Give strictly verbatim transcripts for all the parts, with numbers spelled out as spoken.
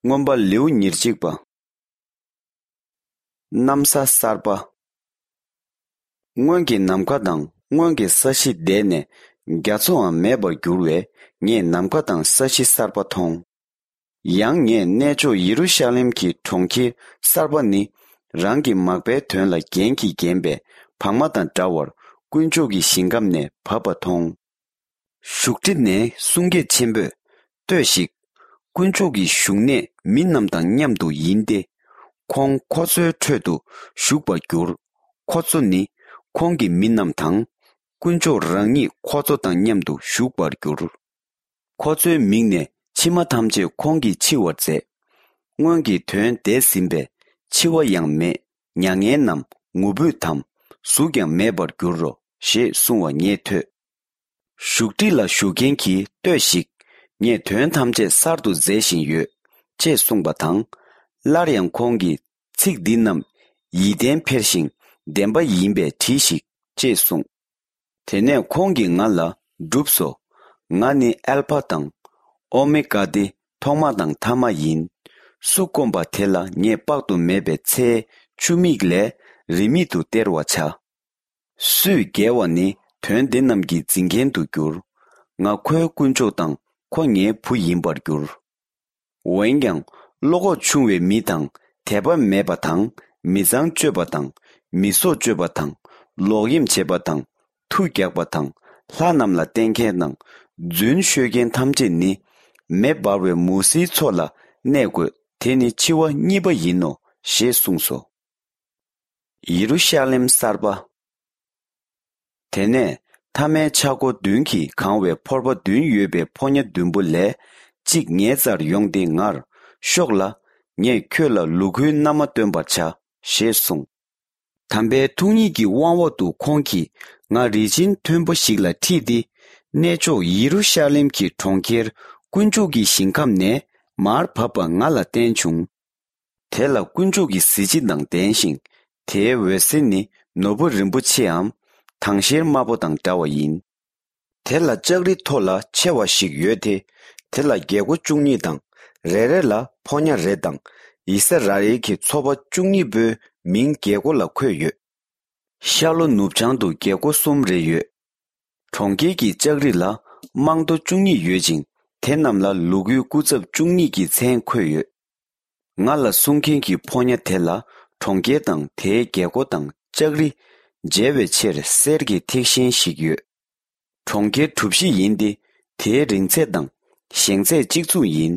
མངོན་པ་ལེའུ་ཉེར་གཅིག་པ། གནམ་ས་གསར་པ། སྔོན་གྱི་ནམ་མཁའ་དང་སྔོན་གྱི་ས་གཞི་འདས་ནས་རྒྱ་མཚོའང་མེད་པར་གྱུར་བས། ངས་ནམ་མཁའ་དང་ས་གཞི་གསར་པ་མཐོང་། ཡང་ངས་གནས་མཆོག་ཡེ་རུ་ཤ་ལེམ་གྱི་གྲོང་ཁྱེར་གསར་པ་ནི། རང་གི་མག་པའི་དོན་ལ་རྒྱན་གྱིས་བརྒྱན་པའི་བག་མ་དང་འདྲ་བར་དཀོན་མཆོག་གི་ཞིང་ཁམས་ནས་བབས་པ་མཐོང་། བཞུགས་ཁྲི་ནས་གསུང་སྐད་ཆེན་པོས། ལྟོས་ཤིག། དཀོན་མཆོག་གི་བཞུགས་གནས་མི་རྣམས་དང་མཉམ་དུ་ཡིན་ཏེ། ཁོང་ཁོ་ཚོའི་ཁྲོད་དུ་བཞུགས་པར་འགྱུར། ཁོ་ཚོ་ནི་ཁོང་གི་མི་རྣམས་དང་། དཀོན་མཆོག་རང་ཉིད་ཁོ་ཚོ་དང་མཉམ་དུ་བཞུགས་པར་འགྱུར། ཁོ་ཚོའི་མིག་ནས་མཆི་མ་ཐམས་ཅད་ཁོང་གིས་འཆི་བར་མཛད། སྔོན་གྱི་དོན་འདས་ཟིན་པས། འཆི་བ་ཡང་མེད། མྱ་ངན་ནམ་ངུ་འབོད་དམ་གཟུགས་ཀྱང་མེད་པར་འགྱུར་རོ། ཞེས་གསུང་བ་ངས་ཐོས། བཞུགས་ཁྲི་ལ་བཞུགས་མཁན་གྱིས། ལྟོས་ཤིག། ངས་དོན་ཐམས་ཅད་གསར་དུ་མཛད་བཞིན་ཡོད། ཅེས་གསུངས་པ་དང་། སླར་ཡང་ཁོང་གིས། ཚིག་འདི་རྣམས་ཡིད་བརྟན་འཕེར་ཞིང་བདེན་པ་ཡིན་པས་བྲིས་ཤིག། ཅེས་གསུངས། དེ་ནས་ཁོང་གིས་ང་ལ། བསྒྲུབས་སོ། ང་ནི་ཨལ་ཕ་དང་། ཨོ་མེ་ག་སྟེ། ཐོག་མ་དང་ཐ་མ་ཡིན། སུ་བསྐོམ་པ་དེ་ལ་ངས་དཔག་ཏུ་མེད་པའི་ཚེའི་ཆུ་མིག་ལས་རིན་མེད་དུ་སྟེར་བར་བྱ། སུས་རྒྱལ་བ་ནི་དོན་འདི་རྣམས་ཀྱི་འཛིན་མཁན་དུ་འགྱུར། ང་ཁོའི་དཀོན་མཆོག་དང་ཁོ་ངའི་བུ་ཡིན་པར་འགྱུར། འོན་ཀྱང་བློ་ཁོག་ཆུང་བའི་མི་དང་། དད་པ་མེད་པ་དང་། མི་ཚངས་སྤྱོད་པ་དང་། མི་སྲོག་གཅོད་པ་དང་། ལོག་གཡེམ་བྱེད་པ་དང་། མཐུ་རྒྱག་པ་དང་། ལྷ་རྣམས་ལ་བརྟེན་མཁན་དང་། རྫུན་ཤོད་མཁན་ཐམས་ཅད་ནི། མེ་འབར་བའི་མུ་ཟིའི་མཚོ་ལ་གནས་དགོས། དེ་ནི་འཆི་བ་གཉིས་པ་ཡིན་ནོ། ཞེས་གསུངས་སོ། ཡེ་རུ་ཤ་ལེམ་གསར་པ། དེ་ནས་ཐ་མའི་ཆག་སྒོ་བདུན་གྱིས་གང་བའི་ཕོར་པ་བདུན་ཡོད་པའི་ཕོ་ཉ་བདུན་པོ་ལས་གཅིག་ངའི་རྩར་ཡོང་སྟེ་ངར། ཤོག་ལ། ངས་ཁྱོད་ལ་ལུ་གུའི་མནའ་མ་སྟོན་པར་བྱ། ཞེས་གསུངས། དམ་པའི་ཐུགས་ཉིད་ཀྱི་དབང་འོག་ཏུ་ཁོང་གིས་ང་རིལ་ཆེན་མཐོན་པོ་ཞིག་ལ་ཁྲིད་དེ། གནས་མཆོག་ཡེ་རུ་ཤ་ལེམ་གྱི་གྲོང་ཁྱེར་དཀོན་མཆོག་གི་ཞིང་ཁམས་ནས་མར་བབས་པ་ང་ལ་བསྟན་བྱུང་། དེ་ལ་དཀོན་མཆོག་གི་གཟི་བརྗིད་དང་ལྡན་ཞིང་། དེའི་འོད་ཟེར་ནི་ནོར་བུ་རིན་པོ་ཆེའམ། དྭངས་ཤེལ་དམར་པོ་དང་འདྲ་བ་ཡིན། དེ་ལ་ལྕགས་རི་མཐོ་ལ་ཆེ་བ་ཞིག་ཡོད་དེ། དེ་ལ་རྒྱལ་སྒོ་བཅུ་གཉིས་དང་། རེ་རེ་ལ་ཕོ་ཉ་རེ་དང་། ཡི་སི་ར་ཨེལ་གྱི་ཚོ་པ་བཅུ་གཉིས་པོའི་མིང་རྒྱལ་སྒོ་ལ་འཁོད་ཡོད། ཤར་ལྷོ་ནུབ་བྱང་དུ་རྒྱལ་སྒོ་གསུམ་རེ་ཡོད། གྲོང་ཁྱེར་གྱི་ལྕགས་རི་ལ་རྨང་རྡོ་བཅུ་གཉིས་ཡོད་ཅིང་། དེ་རྣམས་ལ་ལུ་གུའི་སྐུ་ཚབ་བཅུ་གཉིས་ཀྱི་མཚན་འཁོད་ཡོད། ང་ལ་གསུང་མཁན་གྱི་ཕོ་ཉ་དེ་ལ་གྲོང་ཁྱེར་དང་དེའི་རྒྱལ་སྒོ་དང་ལྕགས་རི་མཇལ་བའི་ཕྱིར་གསེར་གྱི་ཐིག་ཤིང་ཞིག་ཡོད། གྲོང་ཁྱེར་གྲུ་བཞི་ཡིན་ཏེ། དེའི་རིང་ཚད་དང་ཞེང་ཚད་གཅིག་མཚུངས་ཡིན།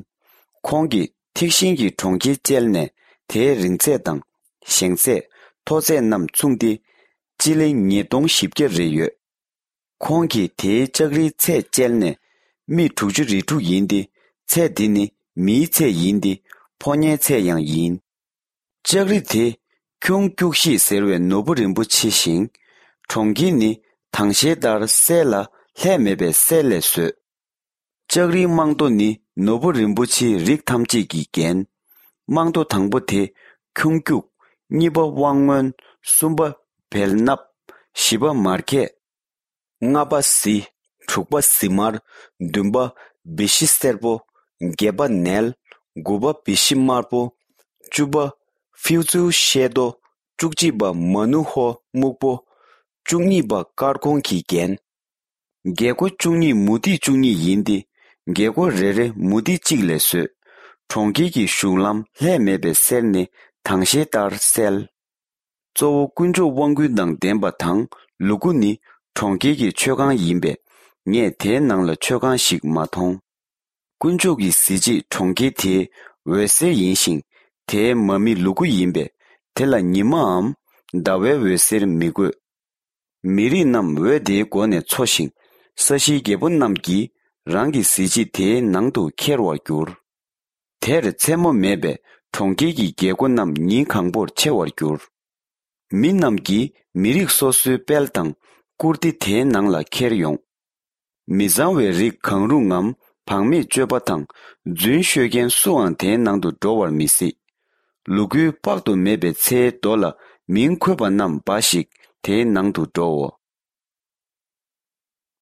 ཁོང་གིས་ཐིག་ཤིང་གི་གྲོང་ཁྱེར་བཅལ་ནས། དེའི་རིང་ཚད་དང་ཞེང་ཚད། མཐོ་ཚད་རྣམས་མཚུངས་ཏེ། སྤྱི་ལེ་ཉིས་སྟོང་བཞི་བརྒྱ་རེ་ཡོད། ཁོང་གིས་དེའི་ལྕགས་རིའི་ཚད་བཅལ་ནས། སྨི་དྲུག་ཅུ་རེ་དྲུག་ཡིན་ཏེ། ཚད་དེ་ནི་མིའི་ཚད་ཡིན་ཏེ། ཕོ་ཉའི་ཚད་ཡང་ཡིན། ལྕགས་རི་དེ་ཁྱུང་སྐྱུག་ཤེས་ཟེར་བའི་ནོར་བུ་རིན་པོ་ཆེ་ཞིང་། གྲོང་ཁྱེར་ནི་དྭངས་ཤེལ་ལྟར་གསལ་ལ་ལྷད་མེད་པའི་གསེར་ལས་བཟོས། ལྕགས་རིའི་རྨང་རྡོ་ནི་ནོར་བུ་རིན་པོ་ཆེའི་རིགས་ཐམས་ཅད་ཀྱིས་བརྒྱན། རྨང་རྡོ་དང་པོ་དེ་ཁྱུང་སྐྱུག། གཉིས་པ་དབང་སྔོན། གསུམ་པ་བེལ་ནབ། བཞི་པ་མར་གད། ལྔ་པ་གཟི། དྲུག་པ་གཟི་དམར། བདུན་པ་བི་ཤི་སེར་པོ། བརྒྱད་པ་ནེལ། དགུ་པ་བི་ཤི་དམར་པོ། བཅུ་པ་ཕིའུ་ཙུའུ་ཤེལ་རྡོ། བཅུ་གཅིག་པ་མ་ནུ་ཧོ་སྨུག་པོ། བཅུ་གཉིས་པ་དཀར་གོང་གིས་བརྒྱན། རྒྱལ་སྒོ་བཅུ་གཉིས་མུ་ཏིག་བཅུ་གཉིས་ཡིན་ཏེ། རྒྱལ་སྒོ་རེ་རེ་མུ་ཏིག་གཅིག་ལས་བཟོས། གྲོང་ཁྱེར་གྱི་གཞུང་ལམ་ལྷད་མེད་པའི་གསེར་ནི་དྭངས་ཤེལ་ལྟར་གསལ། གཙོ་བོ་དཀོན་མཆོག་དབང་སྐུར་དང་ལྡན་པ་དང་། ལུ་གུ་ནི་གྲོང་ཁྱེར་གྱི་མཆོད་ཁང་ཡིན་པས། ངས་དེའི་ནང་ལ་མཆོད་ཁང་ཞིག་མ་མཐོང་། དཀོན་མཆོག་གི་གཟི་བརྗིད་གྲོང་ཁྱེར་དེའི་འོད་ཟེར་ཡིན་ཞིང་། དེའི་མ་མི་ལུ་གུ་ཡིན་པས། དེ་ལ་ཉི་མའམ་ཟླ་བའི་འོད་ཟེར་མི་དགོས། མི་རིགས་རྣམས་འོད་དེའི་སྒོ་ནས་འཚོ་ཞིང་། ས་གཞིའི་རྒྱལ་པོ་རྣམས་ཀྱིས་རང་གི་གཟི་བརྗིད་དེའི་ནང་དུ་འཁྱེར་བར་འགྱུར། དེར་མཚན་མོ་མེད་པས་གྲོང་ཁྱེར་གྱི་རྒྱལ་སྒོ་རྣམས་ཉིན་གང་པོར་ཕྱེ་བར་འགྱུར། མི་རྣམས་ཀྱིས་མི་རིགས་སོ་སོའི་དཔལ་དང་བཀུར་སྟི་དེའི་ནང་ལ་འཁྱེར་ཡོང་། མི་གཙང་བའི་རིགས་གང་རུང་ངམ། བག་མེད་སྤྱོད་པ་དང་རྫུན་ཤོད་མཁན་སུའང་དེའི་ནང་དུ་འགྲོ་བར་མི་སྲིད། ལུ་གུའི་དཔག་ཏུ་མེད་པའི་ཚེའི་མདོ་ལ་མིང་འཁོད་པ་རྣམས་འབའ་ཞིག་དེའི་ནང་དུ་འགྲོའོ།